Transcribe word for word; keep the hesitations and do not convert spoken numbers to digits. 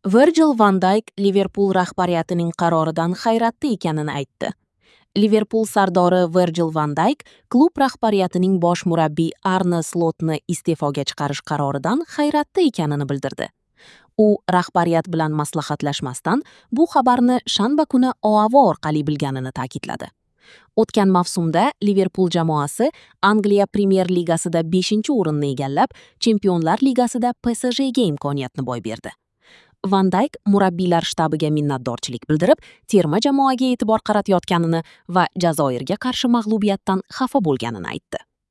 Virgil van Dayk Liverpul rahbariyatining qaroridan hayratda ekanini aytdi. Liverpul sardori Virgil van Dayk klub rahbariyatining bosh murabbiy Arne Slotni iste'foga chiqarish qaroridan hayratda ekanini bildirdi. U rahbariyat bilan maslahatlashmasdan bu xabarni shanba kuni O A V orqali bilganini ta'kidladi. O'tgan mavsumda Liverpul jamoasi Angliya Premyer Ligasida beshinchi o'rinni egallab, Chempionlar Ligasida P S G ga imkoniyatni boy berdi. Van Dayk murabbiylar shtabiga minnatdorchilik bildirib, terma jamoaga e'tibor qaratayotganini va Jazoirga qarshi mag'lubiyatdan xafa bo'lganini aytdi.